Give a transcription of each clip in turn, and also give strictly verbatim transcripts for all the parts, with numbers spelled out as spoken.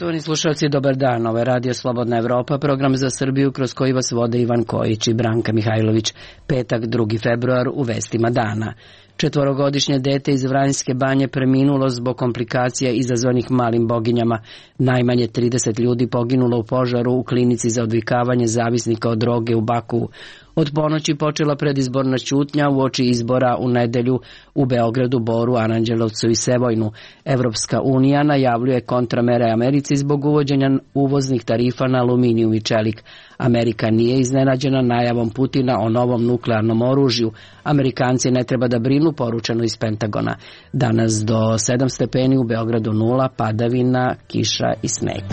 Poštovani slušalci, dobar dan. Ovo je Radio Slobodna Evropa, program za Srbiju kroz koji vas vode Ivan Kojić i Branka Mihajlović. Petak, drugi februar, u vestima dana. Četvorogodišnje dete iz Vranjske Banje preminulo zbog komplikacija izazvanih malim boginjama. Najmanje trideset ljudi poginulo u požaru u klinici za odvikavanje zavisnika od droge u Bakuvu. Od ponoći počela predizborna ćutnja uoči izbora u nedelju u Beogradu, Boru, Aranđelovcu i Sevojnu. Evropska unija najavljuje kontramere Americi zbog uvođenja uvoznih tarifa na aluminijum i čelik. Amerika nije iznenađena najavom Putina o novom nuklearnom oružju. Amerikanci ne treba da brinu, poručeno iz Pentagona. Danas do sedam stepeni, u Beogradu nula, padavina, kiša i sneg.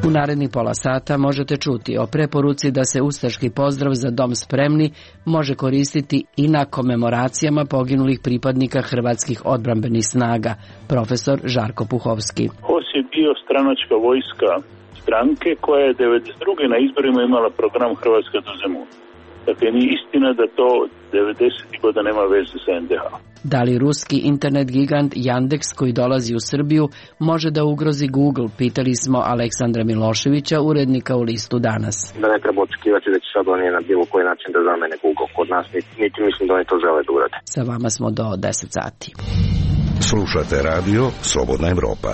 U narednih pola sata možete čuti o preporuci da se ustaški pozdrav Za dom spremni može koristiti i na komemoracijama poginulih pripadnika hrvatskih odbrambenih snaga. Profesor Žarko Puhovski. H O S je bio stranačka vojska stranke koja je devedeset druge na izborima imala program Hrvatska do Zemuna. Dakle, nije istina da to devedesetih godina nema veze sa en de ha. Da li ruski internet gigant Yandex koji dolazi u Srbiju može da ugrozi Google? Pitali smo Aleksandra Miloševića, urednika u Listu Danas. Da ne treba očekivati da će sad oni na bilo koji način da zamene Google kod nas, niti mislim da oni to žele da urade. Sa vama smo do deset sati. Slušate radio Slobodna Evropa.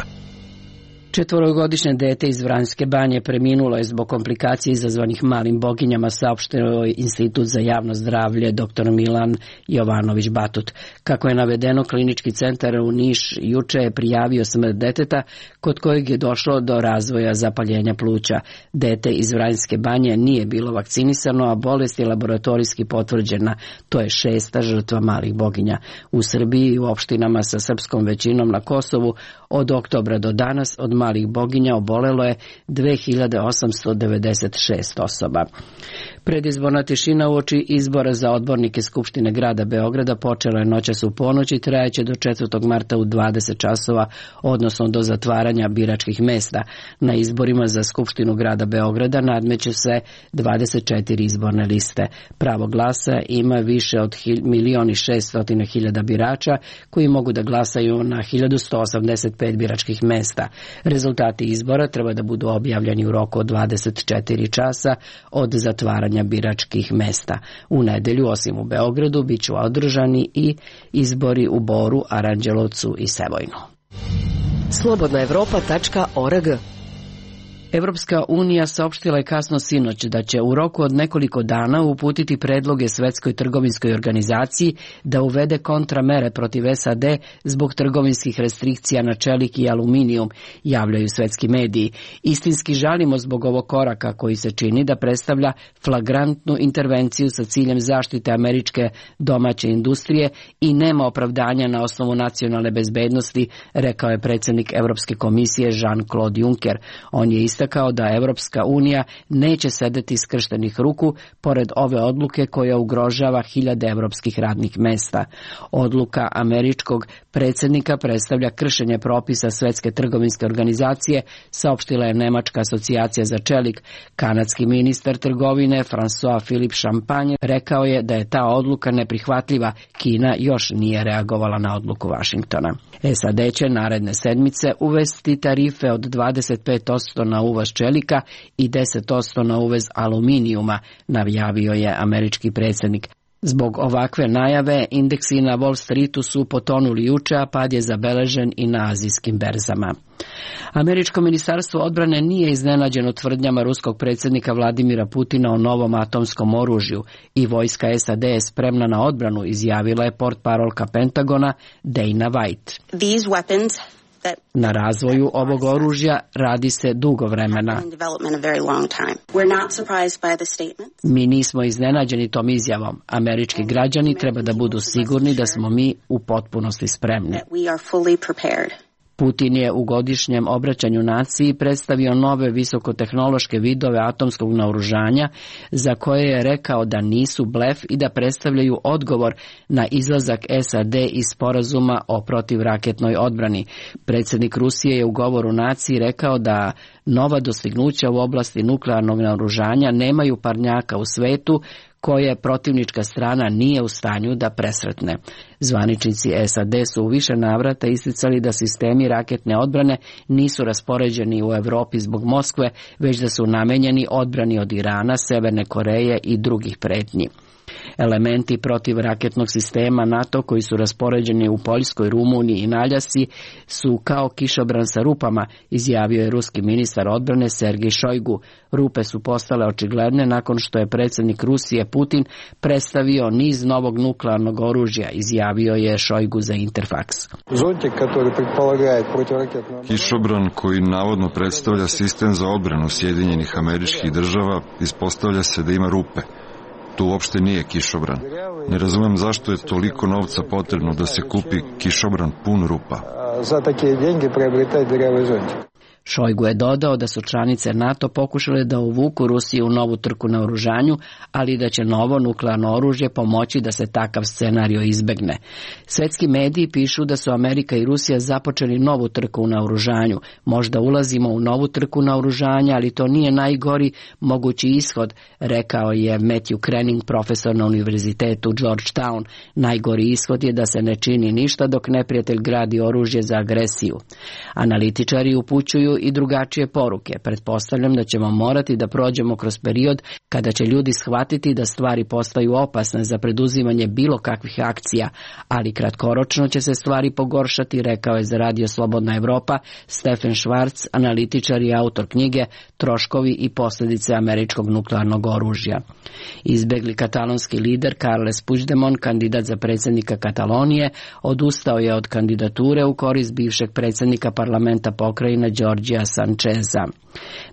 Četvorogodišnje dete iz Vranjske Banje preminulo je zbog komplikacija izazvanih malim boginjama, saopštio Institut za javno zdravlje dr Milan Jovanović Batut. Kako je navedeno, klinički centar u Niš juče je prijavio smrt deteta kod kojeg je došlo do razvoja zapaljenja pluća. Dete iz Vranjske Banje nije bilo vakcinisano, a bolest je laboratorijski potvrđena. To je šesta žrtva malih boginja. U Srbiji i u opštinama sa srpskom većinom na Kosovu od oktobra do danas od malih boginja obolelo je dve hiljade osamsto devedeset šest osoba. Predizborna tišina uoči izbora za odbornike Skupštine grada Beograda počela je noćas u ponoć i trajaće do četvrtog marta u dvadeset časova, odnosno do zatvaranja biračkih mesta. Na izborima za Skupštinu grada Beograda nadmeće se dvadeset četiri izborne liste. Pravo glasa ima više od milion i šeststotina hiljada birača koji mogu da glasaju na hiljadu sto osamdeset pet biračkih mesta. Rezultati izbora treba da budu objavljeni u roku od dvadeset četiri časa od zatvaranja biračkih mesta. U nedelju, osim u Beogradu, bit će održani i izbori u Boru, Aranđelovcu i Sevojnu. slobodna evropa tačka org. Evropska unija saopštila je kasno sinoć da će u roku od nekoliko dana uputiti predloge Svetskoj trgovinskoj organizaciji da uvede kontramere protiv es a de zbog trgovinskih restrikcija na čelik i aluminijum, javljaju svetski mediji. Istinski žalimo zbog ovog koraka koji se čini da predstavlja flagrantnu intervenciju sa ciljem zaštite američke domaće industrije i nema opravdanja na osnovu nacionalne bezbednosti, rekao je predsjednik Evropske komisije Jean-Claude Juncker. On je istakao kao da Evropska unija neće sedeti skrštenih ruku pored ove odluke koja ugrožava hiljade evropskih radnih mesta. Odluka američkog predsjednika predstavlja kršenje propisa Svetske trgovinske organizacije, saopštila je Nemačka asocijacija za čelik. Kanadski ministar trgovine François-Philippe Champagne rekao je da je ta odluka neprihvatljiva. Kina još nije reagovala na odluku Vašingtona. es a de će naredne sedmice uvesti tarife od dvadeset pet posto na uvoz čelika i deset posto na uvoz aluminijuma, najavio je američki predsjednik. Zbog ovakve najave indeksi na Wall Streetu su potonuli juče, a pad je zabeležen i na azijskim berzama. Američko ministarstvo odbrane nije iznenađeno tvrdnjama ruskog predsjednika Vladimira Putina o novom atomskom oružju i vojska es a de je spremna na odbranu, izjavila je portparolka Pentagona Dana White. These weapons Na razvoju ovog oružja radi se dugo vremena. Mi nismo iznenađeni tom izjavom. Američki građani treba da budu sigurni da smo mi u potpunosti spremni. Putin je u godišnjem obraćanju naciji predstavio nove visokotehnološke vidove atomskog naoružanja za koje je rekao da nisu blef i da predstavljaju odgovor na izlazak es a de iz sporazuma o protivraketnoj odbrani. Predsjednik Rusije je u govoru naciji rekao da nova dostignuća u oblasti nuklearnog naoružanja nemaju parnjaka u svetu koje protivnička strana nije u stanju da presretne. Zvaničnici S A D su u više navrata isticali da sistemi raketne odbrane nisu raspoređeni u Evropi zbog Moskve, već da su namenjeni odbrani od Irana, Severne Koreje i drugih pretnji. Elementi protivraketnog sistema NATO koji su raspoređeni u Poljskoj, Rumuniji i na Aljasci su kao kišobran sa rupama, izjavio je ruski ministar odbrane Sergej Šojgu. Rupe su postale očigledne nakon što je predsjednik Rusije Putin predstavio niz novog nuklearnog oružja, izjavio je Šojgu za Interfaks. Kišobran koji navodno predstavlja sistem za odbranu Sjedinjenih Američkih Država ispostavlja se da ima rupe. Tu uopšte nije kišobran. Ne razumem zašto je toliko novca potrebno da se kupi kišobran pun rupa. Za takve denje приобретать дырявый зонтик. Šojgu je dodao da su članice NATO pokušale da uvuku Rusiju u novu trku na oružanju, ali da će novo nuklearno oružje pomoći da se takav scenario izbegne. Svetski mediji pišu da su Amerika i Rusija započeli novu trku na oružanju. Možda ulazimo u novu trku na oružanje, ali to nije najgori mogući ishod, rekao je Matthew Krenning, profesor na univerzitetu Georgetown. Najgori ishod je da se ne čini ništa dok neprijatelj gradi oružje za agresiju. Analitičari upućuju i drugačije poruke. Pretpostavljam da ćemo morati da prođemo kroz period kada će ljudi shvatiti da stvari postaju opasne za preduzimanje bilo kakvih akcija, ali kratkoročno će se stvari pogoršati, rekao je za Radio Slobodna Evropa Stefan Schwarz, analitičar i autor knjige Troškovi i posljedice američkog nuklearnog oružja. Izbegli katalonski lider Carles Puigdemont, kandidat za predsjednika Katalonije, odustao je od kandidature u korist bivšeg predsjednika parlamenta pokrajine Đorđija Sančeza.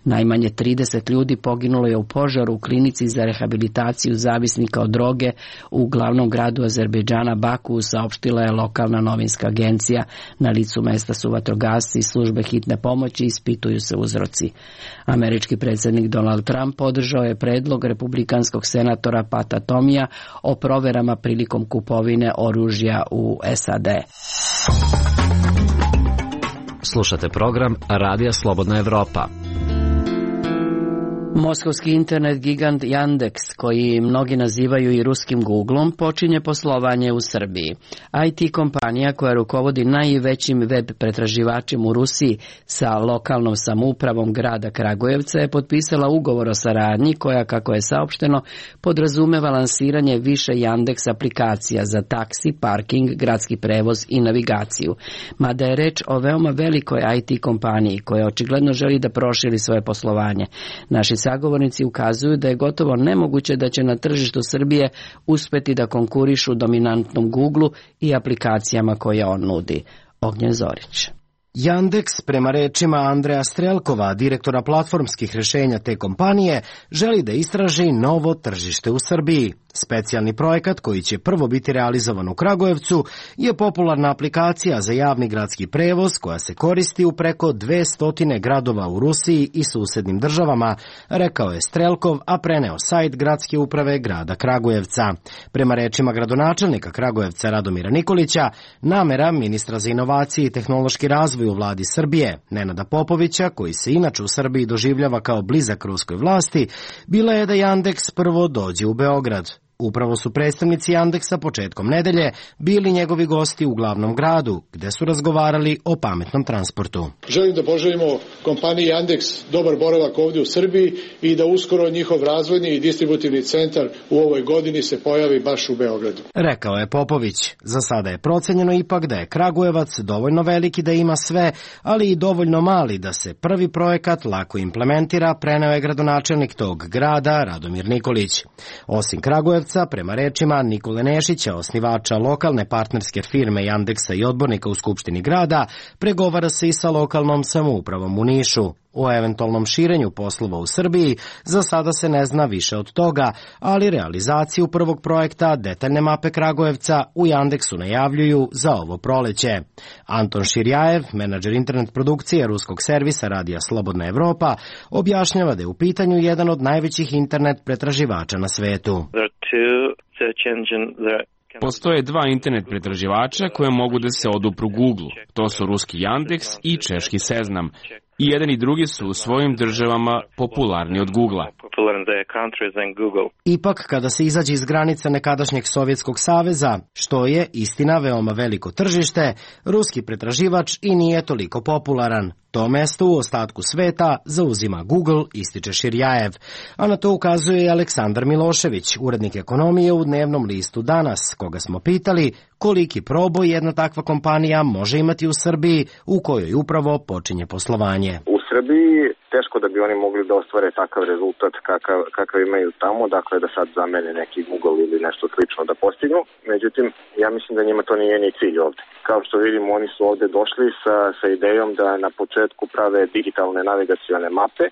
Najmanje trideset ljudi poginulo je u požaru u klinici za rehabilitaciju zavisnika od droge u glavnom gradu Azerbejdžana Baku, saopštila je lokalna novinska agencija. Na licu mesta su vatrogasci i službe hitne pomoći, ispituju se uzroci. Američki predsjednik Donald Trump podržao je predlog republikanskog senatora Pata Tomija o proverama prilikom kupovine oružja u S A D. Slušate program Radija Slobodna Evropa. Moskovski internet gigant Yandex, koji mnogi nazivaju i ruskim Googlom, počinje poslovanje u Srbiji. I T kompanija koja rukovodi najvećim web pretraživačem u Rusiji sa lokalnom samoupravom grada Kragujevca je potpisala ugovor o saradnji koja, kako je saopšteno, podrazumeva lansiranje više Yandex aplikacija za taksi, parking, gradski prevoz i navigaciju. Mada je reč o veoma velikoj I T kompaniji koja očigledno želi da proširi svoje poslovanje. Naši sagovornici ukazuju da je gotovo nemoguće da će na tržištu Srbije uspeti da konkurišu dominantnom Googleu i aplikacijama koje on nudi. Ognjen Zorić. Yandex, prema rečima Andreja Strelkova, direktora platformskih rješenja te kompanije, želi da istraži novo tržište u Srbiji. Specijalni projekat koji će prvo biti realizovan u Kragujevcu je popularna aplikacija za javni gradski prevoz koja se koristi u preko dvesta gradova u Rusiji i susednim državama, rekao je Strelkov, a preneo sajt gradske uprave grada Kragujevca. Prema rečima gradonačelnika Kragujevca Radomira Nikolića, namera ministra za inovacije i tehnološki razvoj u vladi Srbije, Nenada Popovića, koji se inače u Srbiji doživljava kao blizak ruskoj vlasti, bila je da Yandex prvo dođe u Beograd. Upravo su predstavnici Yandexa početkom nedelje bili njegovi gosti u glavnom gradu, gde su razgovarali o pametnom transportu. Želim da poželimo kompaniji Yandex dobar boravak ovdje u Srbiji i da uskoro njihov razvojni i distributivni centar u ovoj godini se pojavi baš u Beogradu. Rekao je Popović. Za sada je procenjeno ipak da je Kragujevac dovoljno veliki da ima sve, ali i dovoljno mali da se prvi projekat lako implementira, preneo je gradonačelnik tog grada Radomir Nikolić. Osim Kragujevca, prema rečima Nikole Nešića, osnivača lokalne partnerske firme Yandexa i odbornika u Skupštini grada, pregovara se i sa lokalnom samoupravom u Nišu. O eventualnom širenju poslova u Srbiji za sada se ne zna više od toga, ali realizaciju prvog projekta detaljne mape Kragujevca u Yandexu najavljuju za ovo proleće. Anton Širjajev, menadžer internet produkcije ruskog servisa Radija Slobodna Evropa, objašnjava da je u pitanju jedan od najvećih internet pretraživača na svetu. Postoje dva internet pretraživača koje mogu da se odupru Googleu. To su ruski Yandex i češki Seznam. I jedan i drugi su u svojim državama popularni od Googlea. Ipak, kada se izađe iz granica nekadašnjeg Sovjetskog saveza, što je, istina, veoma veliko tržište, ruski pretraživač i nije toliko popularan. To mesto u ostatku sveta zauzima Google, ističe Širjajev. A na to ukazuje i Aleksandar Milošević, urednik ekonomije u dnevnom listu Danas, koga smo pitali koliki proboj jedna takva kompanija može imati u Srbiji, u kojoj upravo počinje poslovanje. U Srbiji teško da bi oni mogli da ostvare takav rezultat kakav, kakav imaju tamo, dakle da sad zamene neki Google ili nešto slično da postignu. Međutim, ja mislim da njima to nije ni cilj ovde. Kao što vidimo, oni su ovde došli sa, sa idejom da na početku prave digitalne navigacione mape.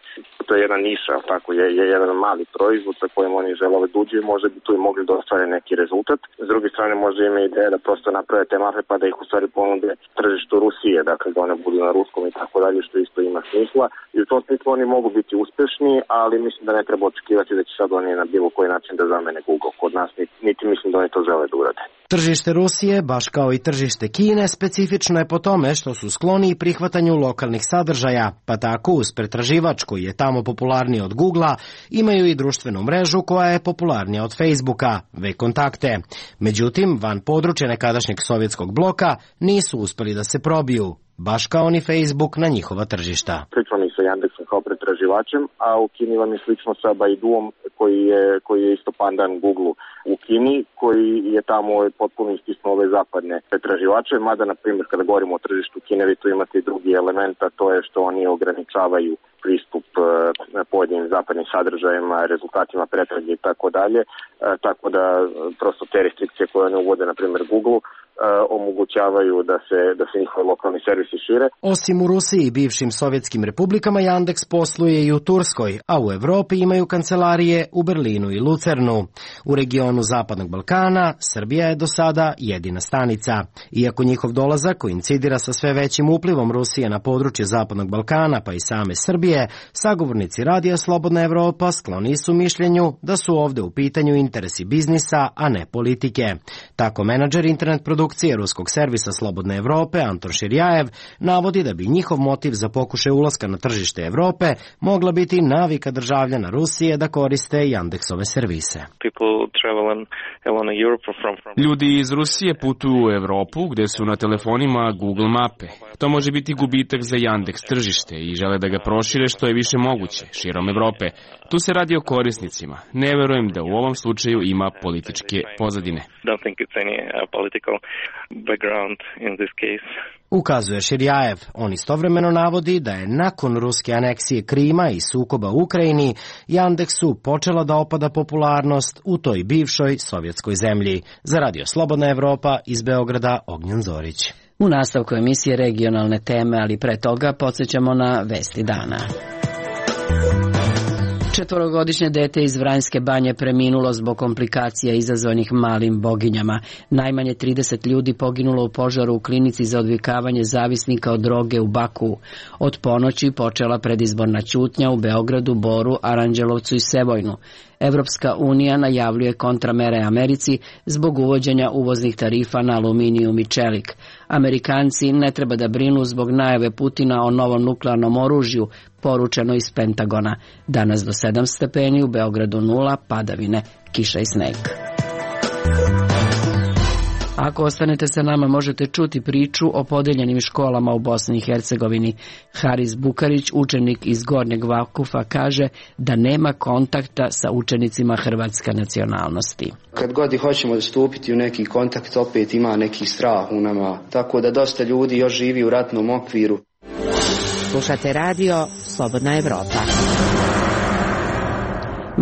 To je jedna niša, tako je, je jedan mali proizvod sa kojim oni žele da uđu i možda bi tu i mogli da ostvare neki rezultat. S druge strane, možda ima ideja da prosto naprave te mape pa da ih u stvari ponude tržištu Rusije, dakle da one budu na ruskom i tako dalje, što isto ima smisla. I u tom smislu oni mogu biti uspešni, ali mislim da ne treba očekivati da će sad oni na bilo koji način da zamene Google kod nas, niti mislim da oni to žele da urade. Tržište Rusije, baš kao i tržište Kine, specifično je po tome što su skloni prihvatanju lokalnih sadržaja, pa tako uz pretraživač koji je tamo popularniji od Googlea, imaju i društvenu mrežu koja je popularnija od Facebooka, V-kontakte. Međutim, van područja nekadašnjeg sovjetskog bloka nisu uspeli da se probiju, baš kao ni Facebook na njihova tržišta. Slično mi sa Yandexom kao pretraživačem, a u Kini vam je slično sa Baiduom koji je, koji je isto pandan Googleu u Kini, koji je tamo potpuno istisnuo ove zapadne pretraživače, mada na primjer kada govorimo o tržištu Kine vi tu imate i drugi element, a to je što oni ograničavaju pristup pojedinim zapadnim sadržajima, rezultatima pretrage i tako dalje, tako da prosto te restrikcije koje oni uvode na primjer Googleu omogućavaju da se, da se njihovi lokalni servisi šire. Osim u Rusiji i bivšim sovjetskim republikama, Yandex posluje i u Turskoj, a u Evropi imaju kancelarije u Berlinu i Lucernu. U regionu Zapadnog Balkana Srbija je do sada jedina stanica. Iako njihov dolazak koincidira sa sve većim uplivom Rusije na područje Zapadnog Balkana, pa i same Srbije, sagovornici Radija Slobodna Evropa skloni su mišljenju da su ovde u pitanju interesi biznisa, a ne politike. Tako menadžer internet produkcije ruskog servisa Slobodne Evrope Anton Širjajev navodi da bi njihov motiv za pokušaj ulaska na tržište Evrope mogla biti navika državljana Rusije da koriste Yandexove servise. Ljudi iz Rusije putuju u Evropu gde su na telefonima Google mape. To može biti gubitak za Yandex tržište i žele da ga prošire što je više moguće širom Evrope. Tu se radi o korisnicima. Ne verujem da u ovom slučaju ima političke pozadine. Ukazuje Širjajev. On istovremeno navodi da je nakon ruske aneksije Krima i sukoba u Ukrajini Yandexu počela da opada popularnost u toj bivšoj sovjetskoj zemlji. Za Radio Slobodna Evropa iz Beograda Ognjen Zorić. U nastavku emisije regionalne teme, ali pre toga podsjećamo na vesti dana. Četvorogodišnje dete iz Vranjske Banje preminulo zbog komplikacija izazvanih malim boginjama. Najmanje trideset ljudi poginulo u požaru u klinici za odvikavanje zavisnika od droge u Baku. Od ponoći počela predizborna ćutnja u Beogradu, Boru, Aranđelovcu i Sevojnu. Evropska unija najavljuje kontramere Americi zbog uvođenja uvoznih tarifa na aluminijum i čelik. Amerikanci ne treba da brinu zbog najave Putina o novom nuklearnom oružju, poručeno iz Pentagona. Danas do sedam stepeni, u Beogradu nula, padavine, kiša i sneg. Ako ostanete sa nama, možete čuti priču o podeljenim školama u Bosni i Hercegovini. Haris Bukarić, učenik iz Gornjeg Vakufa, kaže da nema kontakta sa učenicima hrvatske nacionalnosti. Kad god hoćemo stupiti u neki kontakt, opet ima neki strah u nama, tako da dosta ljudi još živi u ratnom okviru. Slušate radio Slobodna Evropa.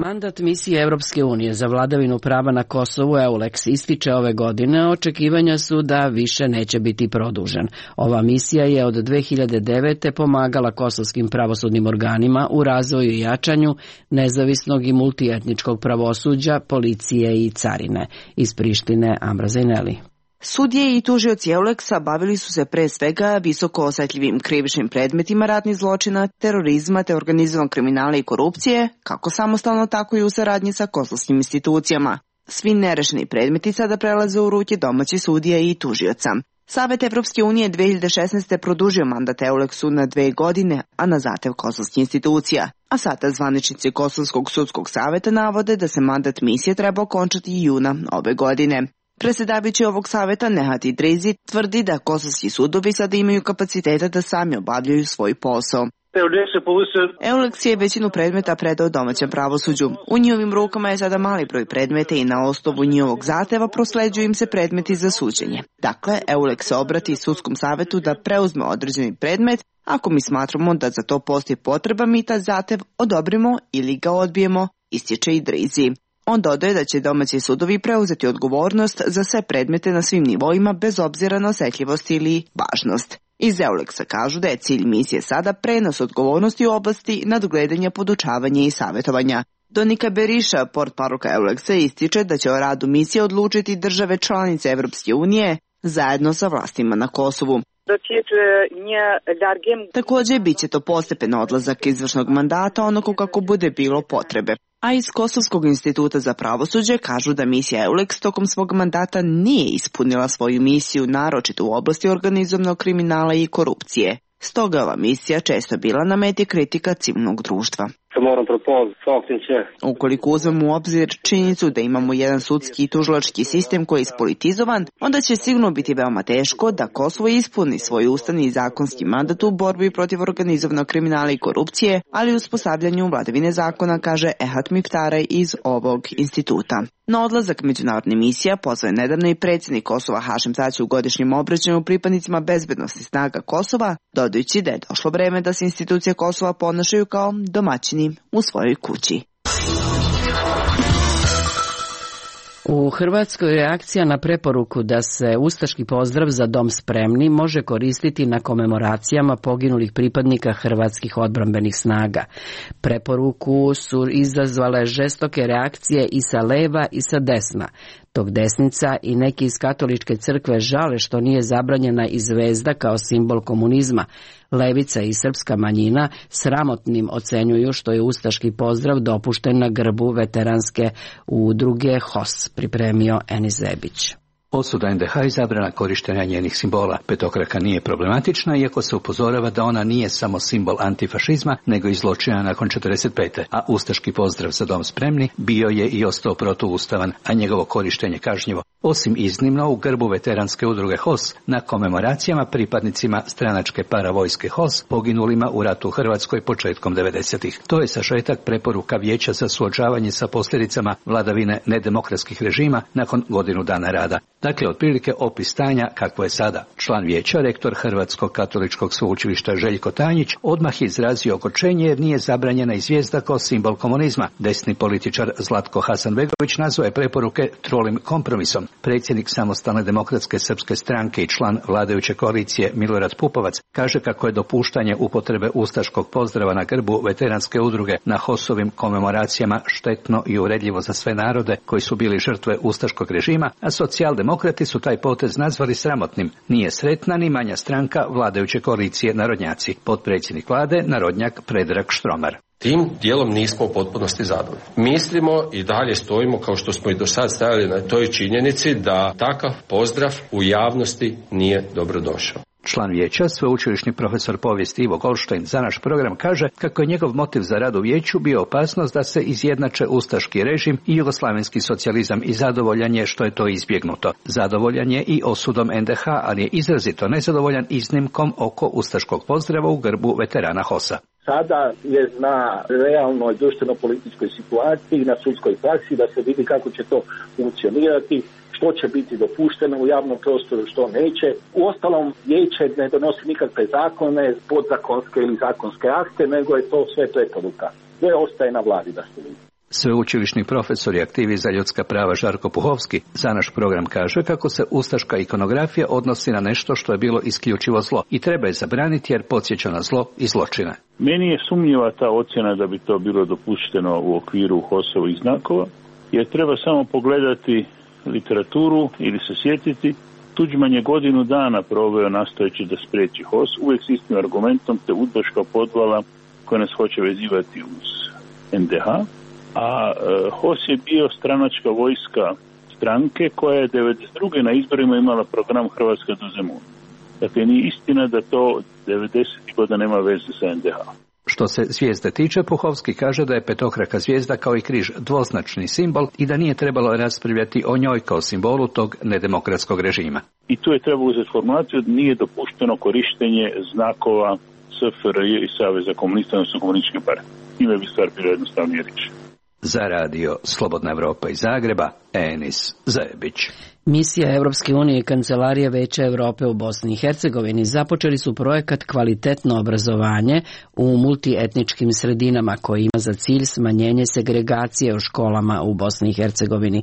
Mandat misije Evropske unije za vladavinu prava na Kosovu EULEX ističe ove godine, očekivanja su da više neće biti produžen. Ova misija je od dve hiljade devete. pomagala kosovskim pravosudnim organima u razvoju i jačanju nezavisnog i multietničkog pravosuđa, policije i carine. Iz Prištine Ambra Zajneli. Sudije i tužioci EULEX-a bavili su se pre svega visoko osetljivim krivičnim predmetima ratnih zločina, terorizma te organizovanog kriminala i korupcije, kako samostalno tako i u saradnji sa kosovskim institucijama. Svi nerešeni predmeti sada prelaze u ruke domaćih sudija i tužioca. Savet Evropske unije dve hiljade šesnaeste. produžio mandat Euleksu na dve godine, a na zahtev kosovskih institucija. A sada zvaničnici Kosovskog sudskog saveta navode da se mandat misije treba okončati juna ove godine. Predsjedavajući ovog saveta Nehat Idrizi tvrdi da kosovski sudovi sada imaju kapaciteta da sami obavljaju svoj posao. Euleks je većinu predmeta predao domaćem pravosuđu. U njihovim rukama je sada mali broj predmeta i na osnovu njihovog zahteva prosleđuju im se predmeti za suđenje. Dakle, Euleks se obrati sudskom savetu da preuzme određeni predmet. Ako mi smatramo da za to postoji potreba, mi taj zahtev odobrimo ili ga odbijemo, ističe Idrizi. On dodaje da će domaći sudovi preuzeti odgovornost za sve predmete na svim nivoima bez obzira na osjetljivost ili važnost. Iz Euleksa kažu da je cilj misije sada prenos odgovornosti u oblasti nadgledanja, podučavanja i savjetovanja. Donika Beriša, portparolka Euleksa, ističe da će o radu misije odlučiti države članice Evropske unije zajedno sa vlastima na Kosovu. Također bit će to postepen odlazak izvršnog mandata onako kako bude bilo potrebe. A iz Kosovskog instituta za pravosuđe kažu da misija Euleks tokom svog mandata nije ispunila svoju misiju, naročito u oblasti organizovanog kriminala i korupcije. Stoga ova misija često bila na meti kritika civilnog društva. Ukoliko uzmemo u obzir činjenicu da imamo jedan sudski i tužilački sistem koji je ispolitizovan, onda će sigurno biti veoma teško da Kosovo ispuni svoj ustavni i zakonski mandat u borbi protiv organizovanog kriminala i korupcije, ali u uspostavljanju vladavine zakona, kaže Ehat Miftaraj iz ovog instituta. Na odlazak međunarodne misija pozvao je nedavno i predsjednik Kosova Hašim Tači u godišnjem obraćanju pripadnicima bezbednosti snaga Kosova, dodajući da je došlo vreme da se institucije Kosova ponašaju kao domaćini u svojoj kući. U Hrvatskoj reakcija na preporuku da se ustaški pozdrav Za dom spremni može koristiti na komemoracijama poginulih pripadnika hrvatskih odbrambenih snaga. Preporuku su izazvale žestoke reakcije i sa leva i sa desna. Dok desnica i neki iz katoličke crkve žale što nije zabranjena i zvezda kao simbol komunizma, levica i srpska manjina sramotnim ocenjuju što je ustaški pozdrav dopušten na grbu veteranske udruge H O S, pripremio Enis Zebić. Osuda en de ha i zabrana korištenja njenih simbola. Petokraka nije problematična, iako se upozorava da ona nije samo simbol antifašizma, nego i zločina nakon četrdeset pete. A ustaški pozdrav Za dom spremni bio je i ostao protuustavan, a njegovo korištenje kažnjivo. Osim iznimno u grbu veteranske udruge H O S na komemoracijama pripadnicima stranačke paravojske H O S poginulima u ratu u Hrvatskoj početkom devedesetih. To je sažetak preporuka Vijeća za suočavanje sa posljedicama vladavine nedemokratskih režima nakon godinu dana rada. Dakle, otprilike opis stanja kakvo je sada. Član vijeća, rektor Hrvatskog katoličkog sveučilišta Željko Tanjić, odmah izrazio okočenje jer nije zabranjena i zvijezda kao simbol komunizma. Desni političar Zlatko Hasanbegović nazvao je preporuke trolim kompromisom. Predsjednik Samostalne demokratske srpske stranke i član vladajuće koalicije Milorad Pupovac kaže kako je dopuštanje upotrebe ustaškog pozdrava na grbu veteranske udruge na H O S-ovim komemoracijama štetno i uvredljivo za sve narode koji su bili žrtve ustaškog režima, a socijaldemokrati su taj potez nazvali sramotnim. Nije sretna ni manja stranka vladajuće koalicije Narodnjaci. Potpredsjednik vlade, narodnjak Predrag Štromar. Tim dijelom nismo u potpunosti zadovoljni. Mislimo i dalje stojimo, kao što smo i do sad stajali, na toj činjenici da takav pozdrav u javnosti nije dobrodošao. Član vijeća, sveučilišni profesor povijesti Ivo Goldstein za naš program kaže kako je njegov motiv za rad u vijeću bio opasnost da se izjednače ustaški režim i jugoslavenski socijalizam i zadovoljan je što je to izbjegnuto. Zadovoljan je i osudom en de ha, ali je izrazito nezadovoljan iznimkom oko ustaškog pozdrava u grbu veterana H O S-a. Sada je na realnoj društveno-političkoj situaciji, na sudskoj praksi, da se vidi kako će to funkcionirati, što će biti dopušteno u javnom prostoru, što neće. Uostalom, vijeće ne donosi nikakve zakone, podzakonske ili zakonske akte, nego je to sve preporuka. Sve ostaje na vladi da se vidi. Sveučilišni profesor i aktivist za ljudska prava Žarko Puhovski za naš program kaže kako se ustaška ikonografija odnosi na nešto što je bilo isključivo zlo i treba je zabraniti jer podsjeća na zlo i zločine. Meni je sumnjiva ta ocjena da bi to bilo dopušteno u okviru H O S-ovih znakova, jer treba samo pogledati literaturu ili se sjetiti. Tuđman je godinu dana proveo nastojeći da spriječi H O S, uvijek s istim argumentom, te udbaška podvala koja nas hoće vezivati uz en de ha. A H O S je bio stranačka vojska stranke koja je devedeset druge na izborima imala program Hrvatska do Zemuna. Dakle, nije istina da to devedesetih godina nema veze sa en de ha. Što se zvijezde tiče, Puhovski kaže da je petokraka zvijezda kao i križ dvoznačni simbol i da nije trebalo raspravljati o njoj kao simbolu tog nedemokratskog režima. I tu je trebalo uzeti formulaciju da nije dopušteno korištenje znakova es fe er je i Saveza komunista, odnosno komunističke partije. Ime bi stvar bilo jednostavnije reći. Za radio Slobodna Evropa iz Zagreba, Enis Zajebić. Misija Evropske unije i Kancelarija Veća Evrope u Bosni i Hercegovini započeli su projekat Kvalitetno obrazovanje u multietničkim sredinama koji ima za cilj smanjenje segregacije u školama u Bosni i Hercegovini.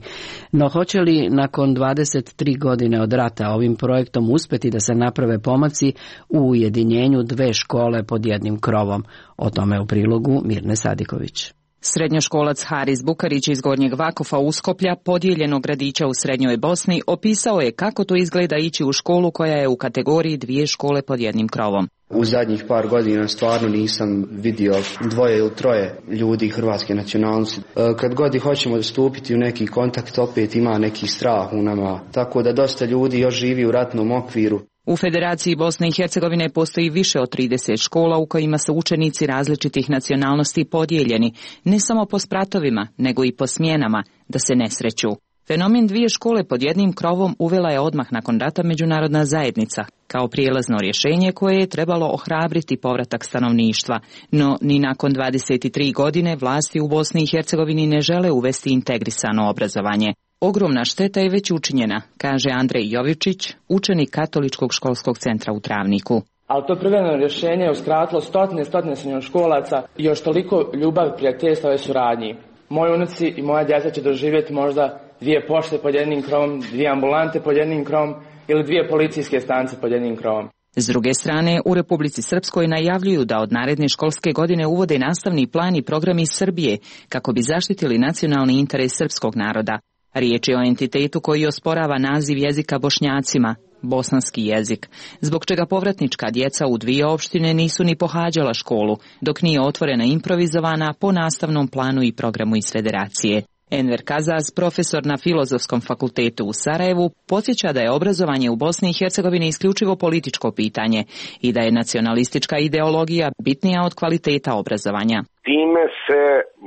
No hoće li nakon dvadeset tri godine od rata ovim projektom uspjeti da se naprave pomaci u ujedinjenju dve škole pod jednim krovom? O tome u prilogu Mirne Sadiković. Srednjoškolac Haris Bukarić iz Gornjeg Vakofa Uskoplja, podijeljenog gradića u Srednjoj Bosni, opisao je kako to izgleda ići u školu koja je u kategoriji dvije škole pod jednim krovom. U zadnjih par godina stvarno nisam vidio dvoje ili troje ljudi hrvatske nacionalnosti. Kad god hoćemo stupiti u neki kontakt, opet ima neki strah u nama, tako da dosta ljudi još živi u ratnom okviru. U Federaciji Bosne i Hercegovine postoji više od trideset škola u kojima su učenici različitih nacionalnosti podijeljeni, ne samo po spratovima, nego i po smjenama, da se ne sreću. Fenomen dvije škole pod jednim krovom uvela je odmah nakon rata međunarodna zajednica, kao prijelazno rješenje koje je trebalo ohrabriti povratak stanovništva, no ni nakon dvadeset tri godine vlasti u Bosni i Hercegovini ne žele uvesti integrisano obrazovanje. Ogromna šteta je već učinjena, kaže Andrej Jovičić, učenik Katoličkog školskog centra u Travniku. Ali to privremeno rješenje je uskratilo stotine, stotine srednjoškolaca i još toliko ljubav, prijateljstva i suradnji. Moji unuci i moja djeca će doživjeti možda dvije pošte pod jednim krovom, dvije ambulante pod jednim krovom ili dvije policijske stanice pod jednim krovom. S druge strane, u Republici Srpskoj najavljuju da od naredne školske godine uvode nastavni plan i program iz Srbije kako bi zaštitili nacionalni interes srpskog naroda. Riječ je o entitetu koji osporava naziv jezika Bošnjacima, bosanski jezik, zbog čega povratnička djeca u dvije opštine nisu ni pohađala školu, dok nije otvorena improvizovana po nastavnom planu i programu iz Federacije. Enver Kazaz, profesor na Filozofskom fakultetu u Sarajevu, podsjeća da je obrazovanje u Bosni i Hercegovini isključivo političko pitanje i da je nacionalistička ideologija bitnija od kvaliteta obrazovanja. Time se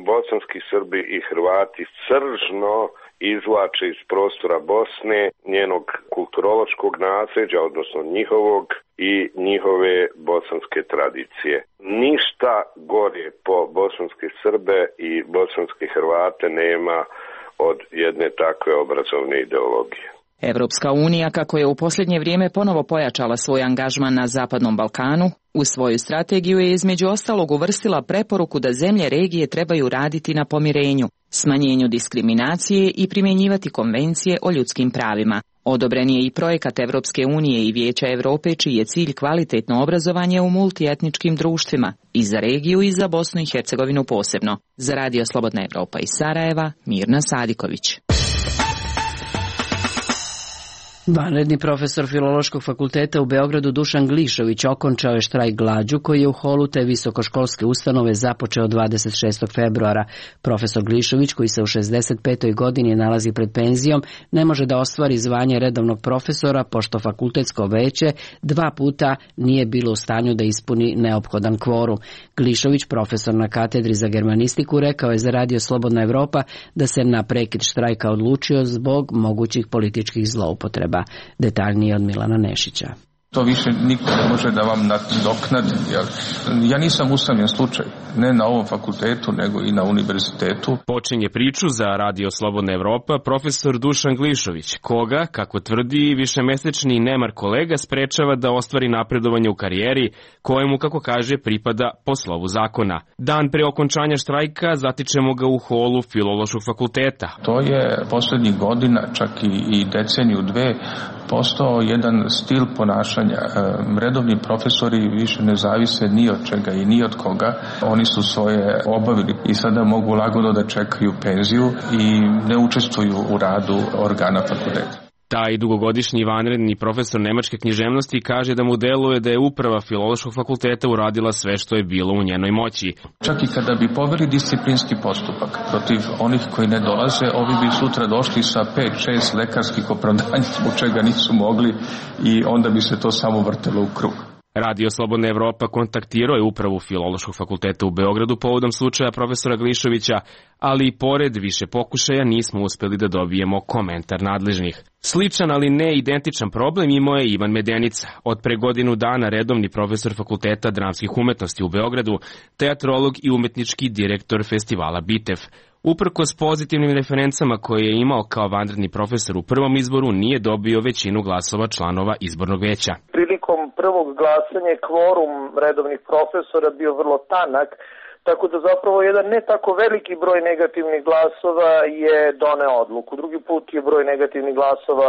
bosanski Srbi i Hrvati sržno izvlače iz prostora Bosne, njenog kulturološkog nasljeđa, odnosno njihovog i njihove bosanske tradicije. Ništa gore po bosanske Srbe i bosanske Hrvate nema od jedne takve obrazovne ideologije. Evropska unija, kako je u posljednje vrijeme ponovo pojačala svoj angažman na Zapadnom Balkanu, u svoju strategiju je između ostalog uvrstila preporuku da zemlje regije trebaju raditi na pomirenju, smanjenju diskriminacije i primjenjivati konvencije o ljudskim pravima. Odobren je i projekat Evropske unije i Vijeća Europe čiji je cilj kvalitetno obrazovanje u multietničkim društvima, i za regiju i za Bosnu i Hercegovinu posebno. Za radio Slobodna Evropa iz Sarajeva, Mirna Sadiković. Vanredni profesor Filološkog fakulteta u Beogradu Dušan Glišović okončao je štrajk glađu koji je u holu te visokoškolske ustanove započeo dvadeset šestog februara. Profesor Glišović, koji se u šezdeset petoj godini nalazi pred penzijom, ne može da ostvari zvanje redovnog profesora pošto fakultetsko veće dva puta nije bilo u stanju da ispuni neophodan kvorum. Glišović, profesor na katedri za germanistiku, rekao je za radio Slobodna Evropa da se na prekid štrajka odlučio zbog mogućih političkih zloupotreba. Detaljnije od Milana Nešića. To više niko ne može da vam nadoknadi. Ja nisam usamljen slučaj, ne na ovom fakultetu, nego i na univerzitetu. Počinje priču za radio Slobodna Evropa profesor Dušan Glišović, koga, kako tvrdi, višemesečni nemar kolega sprečava da ostvari napredovanje u karijeri, kojemu, kako kaže, pripada po slovu zakona. Dan pre okončanja štrajka zatičemo ga u holu Filološkog fakulteta. To je poslednjih godina, čak i, i deceniju dve, postao jedan stil ponašanja. Redovni profesori više ne zavise ni od čega i ni od koga. Oni su svoje obavili i sada mogu lagodno da čekaju penziju i ne učestvuju u radu organa fakulteta. Taj dugogodišnji vanredni profesor nemačke književnosti kaže da mu deluje da je uprava Filološkog fakulteta uradila sve što je bilo u njenoj moći. Čak i kada bi poveli disciplinski postupak protiv onih koji ne dolaze, ovi bi sutra došli sa pet šest lekarskih opravdanja zbog čega nisu mogli i onda bi se to samo vrtelo u krug. Radio Slobodna Evropa kontaktirao je upravu Filološkog fakulteta u Beogradu povodom slučaja profesora Glišovića, ali i pored više pokušaja nismo uspeli da dobijemo komentar nadležnih. Sličan, ali ne identičan problem imao je Ivan Medenica, od pre godinu dana redovni profesor Fakulteta dramskih umetnosti u Beogradu, teatrolog i umetnički direktor festivala Bitev. Uprkos pozitivnim referencama koje je imao kao vanredni profesor u prvom izboru, nije dobio većinu glasova članova izbornog veća. Prilikom prvog glasanja kvorum redovnih profesora bio vrlo tanak, tako da zapravo jedan ne tako veliki broj negativnih glasova je doneo odluku. Drugi put je broj negativnih glasova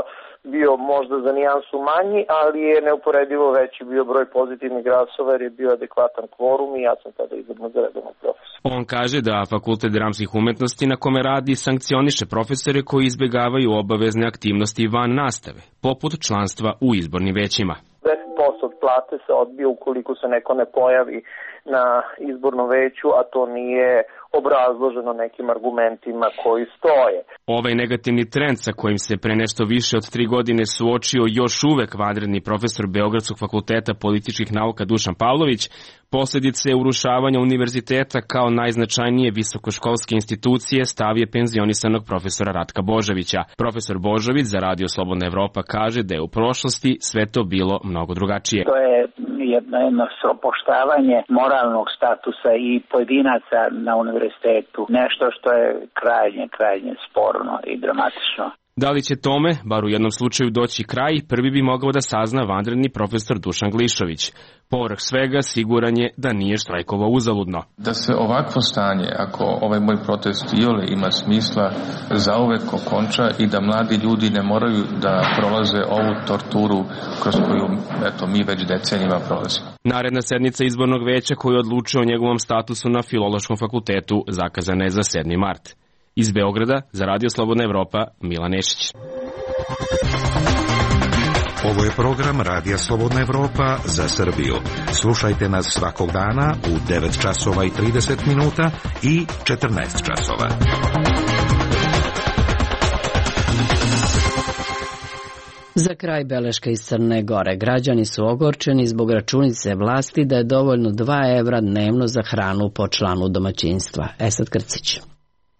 bio možda za nijansu manji, ali je neuporedivo veći bio broj pozitivnih glasova jer je bio adekvatan kvorum i ja sam tada izabran za redovnog profesora. On kaže da Fakultet dramskih umetnosti na kome radi sankcioniše profesore koji izbegavaju obavezne aktivnosti van nastave, poput članstva u izbornim većima. deset posto od plate se odbije ukoliko se neko ne pojavi na izbornom veću, a to nije obrazloženo nekim argumentima koji stoje. Ovaj negativni trend sa kojim se pre nešto više od tri godine suočio još uvek vanredni profesor Beogradskog fakulteta političkih nauka Dušan Pavlović, posledice urušavanja univerziteta kao najznačajnije visokoškolske institucije stav je penzionisanog profesora Ratka Božovića. Profesor Božović za Radio Slobodna Evropa kaže da je u prošlosti sve to bilo mnogo drugačije. To je jedno, jedno opoštavanje moralnog statusa i pojedinaca na univerzitetu, nešto što je krajnje, krajnje sporno i dramatično. Da li će tome, bar u jednom slučaju, doći kraj, prvi bi mogao da sazna vanredni profesor Dušan Glišović. Povrh svega, siguran je da nije štrajkovao uzaludno. Da se ovakvo stanje, ako ovaj moj protest iole ima smisla, zauvek okonča i da mladi ljudi ne moraju da prolaze ovu torturu kroz koju eto, mi već decenijima prolazimo. Naredna sednica izbornog veća koju odlučuje o njegovom statusu na Filološkom fakultetu zakazana je za sedmi mart. Iz Beograda, za Radio Slobodna Evropa, Milan Nešić. Ovo je program Radija Slobodna Evropa za Srbiju. Slušajte nas svakog dana u devet časova i trideset minuta i četrnaest časova. Za kraj beleška iz Crne Gore. Građani su ogorčeni zbog računice vlasti da je dovoljno dva evra dnevno za hranu po članu domaćinstva. Esad Krcić.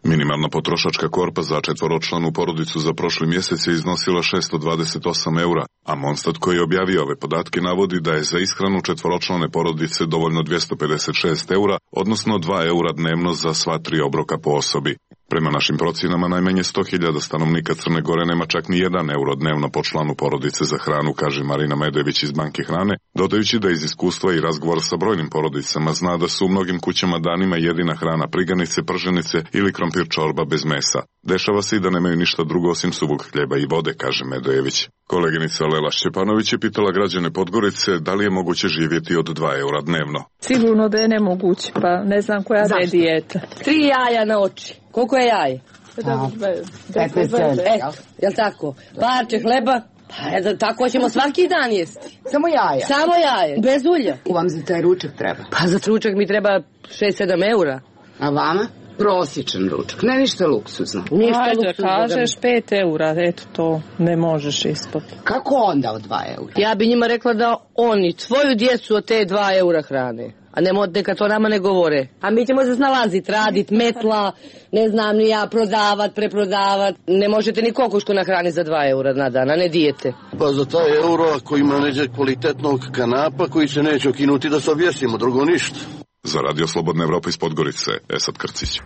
Minimalna potrošačka korpa za četvoročlanu porodicu za prošli mjesec je iznosila šesto dvadeset osam eura, a Monstat koji je objavio ove podatke navodi da je za ishranu četvoročlane porodice dovoljno dvjesto pedeset šest eura, odnosno dva eura dnevno za sva tri obroka po osobi. Prema našim procjenama, najmanje sto hiljada stanovnika Crne Gore nema čak ni jedan euro dnevno po članu porodice za hranu, kaže Marina Medojević iz Banke hrane, dodajući da iz iskustva i razgovora sa brojnim porodicama zna da su u mnogim kućama danima jedina hrana priganice, prženice ili krompir čorba bez mesa. Dešava se i da nemaju ništa drugo osim suvog hljeba i vode, kaže Medojević. Koleginica Lela Šćepanović je pitala građane Podgorice da li je moguće živjeti od dva eura dnevno. Sigurno da je nemoguće, pa ne znam koja je dijeta. Tri jaja na oči. Koliko je jaje? petnaest centi. Eto, jel tako? Parče hleba? Pa tako ćemo svaki dan jesti. Samo jaja? Samo jaje, bez ulja. Ko vam za taj ručak treba? Pa za ručak mi treba šest sedam eura. A vama? Prosječan ručak, ne ništa luksuzno. Ništa Ajde, luksuzno. kažeš pet eura, eto to ne možeš ispod. Kako onda od dva eura? Ja bi njima rekla da oni svoju djecu od te dva eura hrane. A nemo, neka to nama ne govore. A mi ćemo se snalaziti, radit, metla, ne znam ni ja, prodavat, preprodavat. Ne možete ni kokošku nahraniti za dva eura na dan, a ne dijete. Pa za taj euro ako ima neđe kvalitetnog kanapa koji se neće okinuti da se objesimo, drugo ništa. Za Radio Slobodna Evropa iz Podgorice, Esad Krcić.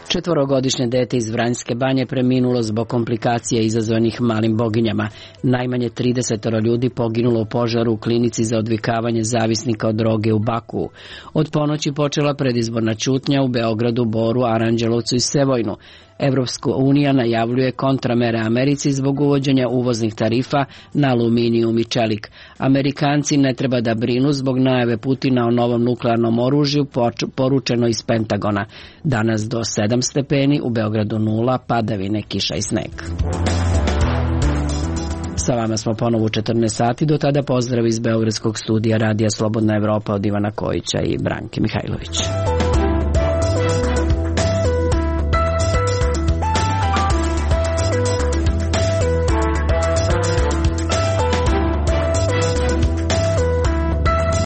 Četvorogodišnje dete iz Vranjske Banje preminulo zbog komplikacija izazvanih malim boginjama. Najmanje trideset ljudi poginulo u požaru u klinici za odvikavanje zavisnika od droge u Baku. Od ponoći počela predizborna ćutnja u Beogradu, Boru, Aranđelovcu i Sevojnu. Evropska unija najavljuje kontramere Americi zbog uvođenja uvoznih tarifa na aluminijum i čelik. Amerikanci ne treba da brinu zbog najave Putina o novom nuklearnom oružju, poručeno iz Pentagona. Danas do sedam stepeni, u Beogradu nula, padavine, kiša i sneg. Sa vama smo ponovo u četrnaest sati, do tada pozdrav iz Beogradskog studija Radija Slobodna Evropa od Ivana Kojića i Branke Mihajlović.